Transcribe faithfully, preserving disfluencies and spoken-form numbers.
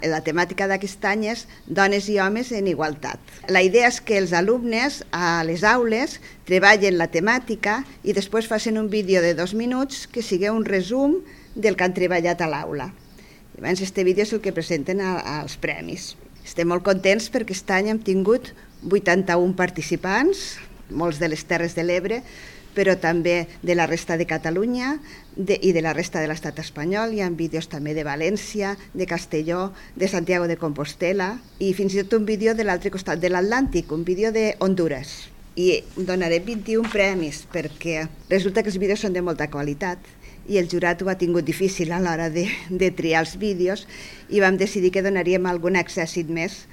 La temàtica d'aquest any és Dones i homes en igualtat. La idea és que els alumnes a les aules treballen la temàtica i després facin un vídeo de dos minuts que sigui un resum del que han treballat a l'aula. Llavors, aquest vídeo és el que presenten als premis. Estem molt contents perquè aquest any hem tingut vuitanta-un participants, molts de les Terres de l'Ebre, però també de la resta de Catalunya de, i de la resta de l'estat espanyol. Hi ha vídeos també de València, de Castelló, de Santiago de Compostela i fins i tot un vídeo de l'altre costat de l'Atlàntic, un vídeo de Hondures. I donaré vint-i-un premis perquè resulta que els vídeos són de molta qualitat i el jurat ho ha tingut difícil a l'hora de, de triar els vídeos i vam decidir que donaríem algun accèssit més